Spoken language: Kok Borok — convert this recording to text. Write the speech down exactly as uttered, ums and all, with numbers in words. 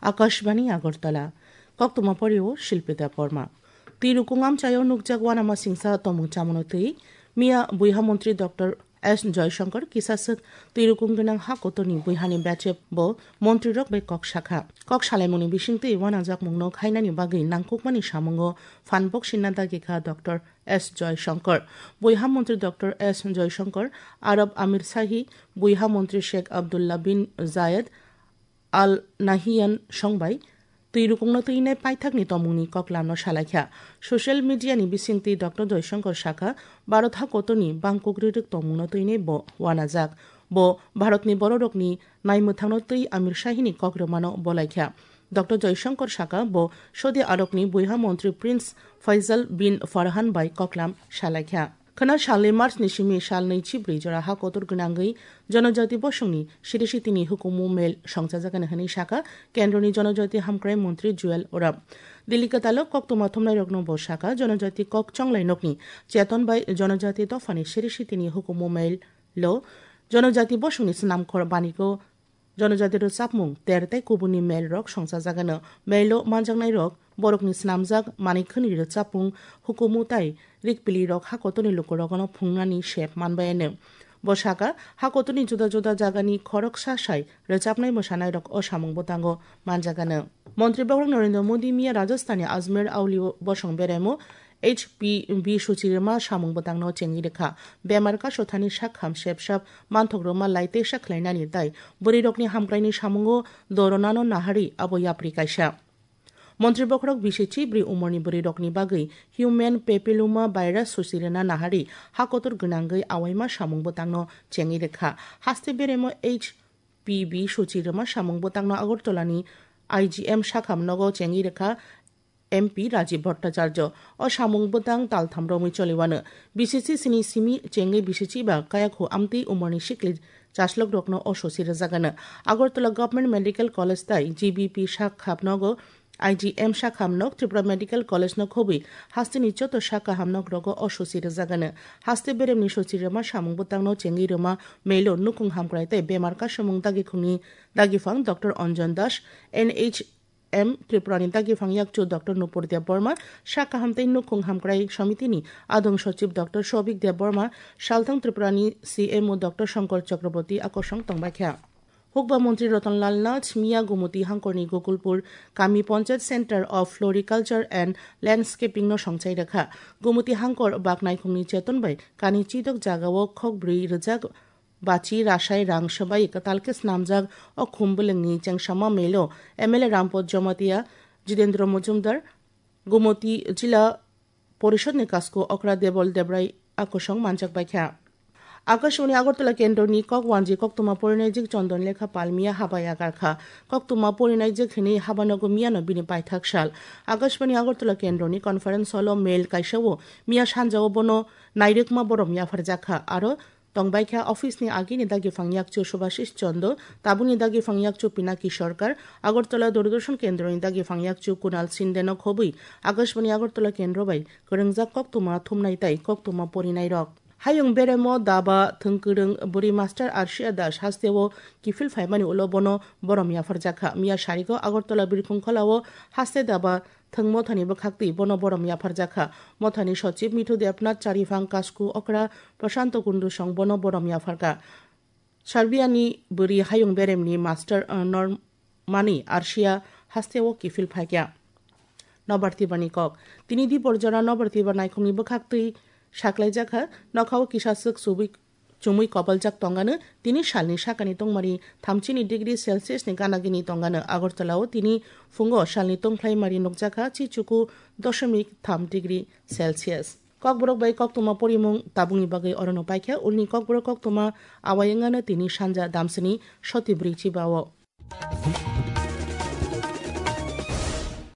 Akashbani Agartala. Koktwma porio Shilpi Debbarma. Twirukung amchaio nukjak wanama singsa tomung chamuno twi miya buiha montri Doctor S Joyshankar kisaswk twirukung gwnang ha kotorni buihani bechep bo montrirok bai kok sakha. Kok salaimungni bisingtwi wanajakmungno khainani bagwi nangkukmani samungo phan boksinna dagikha Doctor S Joyshankar. Buiha montri Doctor S Joyshankar, Arab Amir Shahi, buiha montri Sheikh Abdullah bin Zayed, Al Nahyan songbai twirukungno twinai paithakni tongmungni koklamno salaikha. Social media ni bisingtwi Doctor Joyshankar sakha, Bharat hakotorni bangkuk rirwk tongmungno twinai bo wanajak. Bo Bharatni bororokni naimwthangno twi Amir Shahini kok rwmano bolaikha. Doctor Joyshankar sakha, bo Saudi Arabni buiha montri Prince Faisal bin Farhan bai koklam salaikha. Khwna salni March ni simi sal nui chibrwi jora ha kotor gwnangwi Jonojati bosongni siri sitini hukumu mail songchajakani hwnwi sakha Kendroni Jonojati Hamkrai Montri Juel Oram. Delhi kwtalo koktwma thumnairokno bo sakha Jonojati kok chonglai nokni cheton bai Jonojati dophani siri sitini hukumu mail lo Jonojati bosongni snamkhor banigo Jonojati rwchapmung ter tei kubunni mail rok songchajagano. Mail o manjaknai rok borokni snamjak manik khwnwi rwchapmung, hukumu tai rikpili rok ha kotorni lukurokno phungnani sep manbayano. Bo sakha, ha kotorni juda juda jagani khoroksa sai rwchapnai mwsanairok o samung bwtango manjagano. Montri Bokhorok Narendra Modi miya Rajasthanni Ajmer Auli bosong beraimo H P V suchi rwma samung bwtangno chengwi rwkha. Bemar kasothani sak ham sep sap manthok rwma lai teisa khlainani tai bwrwirokni hamkraini samungo doronano naharwi abo yapri kaisa. Montri Bokhorok bisi chibrwi umorni bwrwirokni bagwi human papilloma virus susi rwna naharwi ha kotor gwnangwi awaima samung bwtangno chengwi rwkha. Haste beremo H P V suchi rwma samung bwtangno Agartalani I G M sakham nogo chengwi rwkha M P Rajiv Bhattacharya. O samung bwtang taltham romwi choliwano. B C C sini simi chengwi B C C ba kayakhu amtwi umorni sikli chaslok rokno o sosi rwjagano. Agartala Government Medical College tai G B P sak khapnogo I G M sak hamnok Tripura Medical College no khobwi hasteni joto sak kahamnok rogo o sosi rwjagano. Haste beremni sosi rwma samung bwtangno chengwi rwma melo nukung hamkrai tei bemar kasumung dagikhungni dagifang Doctor Anjan Das, N H M Tripurani dagifang yakchu Doctor Nupur Debbarma, sak kaham tei nukhung hamkrai somitini adong sochib Doctor Sobik Debbarma, salthang Tripurani C M O Doctor Shankar Chakraborty akosong tongbaikha. Hukba Montri Ratan Lal Nath miya Gumuti Hangkorni Gokulpur Kami Panchayat Center of Floriculture and Landscaping no songchai rwkha. Gumuti Hangkor bak naikhungni cheton bai kani chidok jagao khokbrwi rwjak bachi rasai rang swbai kwtal khe snamjak o khum bwlwngni chengsama melo M L A Rampot Jomatia, Jitendra Mojumdar, Gumoti Jila Porishod ni kasku okra Debol Debrai akosong manjak baikha. Akashbani Agartala Kendroni kok wanji koktwma porinaijik Chondon Lekha Pal miya haba yakarkha. Koktwma porinaijik hinwi haba nogo miyano bini paithak sal. Akashbani Agartala Kendroni conference hall o mail kaisa o miya sanjao bono nairwkma borom yapharjakha. Aro tongbaikha office ni agini dagifang yakchu Subhashish Chondo, tabukni dagifang yakchu Pinaki Sarkar, Agartala Doordarshan Kendroni dagifang yakchu Kunal Shinde no khobwi Akashbani Agartala Kendro bai kwrwngjak koktwma thumnai tai koktwma porinairok. Hayung beremo daba thwngkwrwng bwrwi Master Arshia Das hasteo kiphil phaimani ulo bono borom yapharjakha. Miya sarigo Agartala Birkhung Kholao haste daba thwng mothani bwkhaktwi bono borom yapharjakha. Mothani sochib Mithu Debnath Charifang kasku okra Prashanto Kundu song bono borom yapharkha. Serbiani bwrwi hayung beremni Master, uh, Normani Arshia hasteo kiphil phaikha. Nobar Tibani kok. Tini Dipor jora Nobar Tiba naikhungni bwkhaktwi saklaijakha, nokhao kisaswk chubui chumui koboljak tongano tini salni sakani tongmani thamchini degree Celsius ni ganagini tongano. Agartala o tini phungo salni tongkhlai mari nukjakha chichuku doshomik tham degree Celsius. Kokborok bai koktwma porimung tabukni bagwi orono paikha ulni kokborok koktwma awai wngano tini sanja damsini soti brwi chiba o.